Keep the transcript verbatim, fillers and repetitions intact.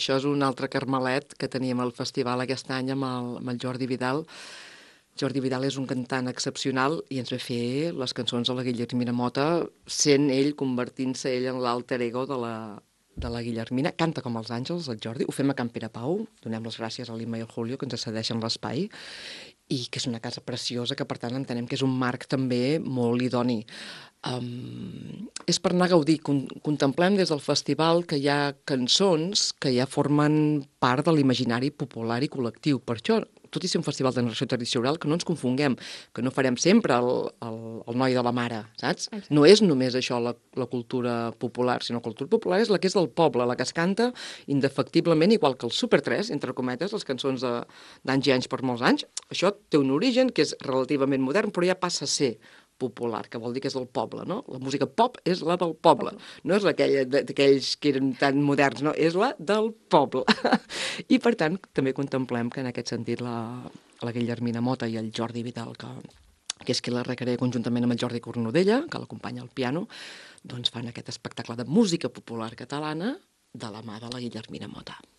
això és un altre carmelet que teníem al festival aquest any amb el, amb el Jordi Vidal. Jordi Vidal és un cantant excepcional i ens va fer les cançons de la Guillermina Mota, sent ell, convertint-se ell en l'alter ego de la, de la Guillermina. Canta com els àngels, el Jordi. Ho fem a Can Perepau. Donem les gràcies a l'Ima i al Julio, que ens cedeixen l'espai, i que és una casa preciosa, que per tant entenem que és un marc també molt idoni. Um, és per anar a gaudir. Con contemplem des del festival que hi ha cançons que ja formen part de l'imaginari popular i col·lectiu. Per això, tot i ser un festival de narració tradicional, que no ens confonguem, que no farem sempre el, el, el noi de la mare, saps? Exacte. No és només això la, la cultura popular, sinó la cultura popular és la que és del poble, la que es canta indefectiblement, igual que el Super tres, entre cometes, les cançons d'anys i anys per molts anys. Això té un origen que és relativament modern, però ja passa a ser popular, que vol dir que és del poble, no? La música pop és la del poble, no és aquella d'aquells que eren tan moderns, no, és la del poble. I, per tant, també contemplem que en aquest sentit la, la Guillermina Mota i el Jordi Vidal, que, que és qui la recrea conjuntament amb el Jordi Cornudella, que l'acompanya al piano, doncs fan aquest espectacle de música popular catalana de la mà de la Guillermina Mota.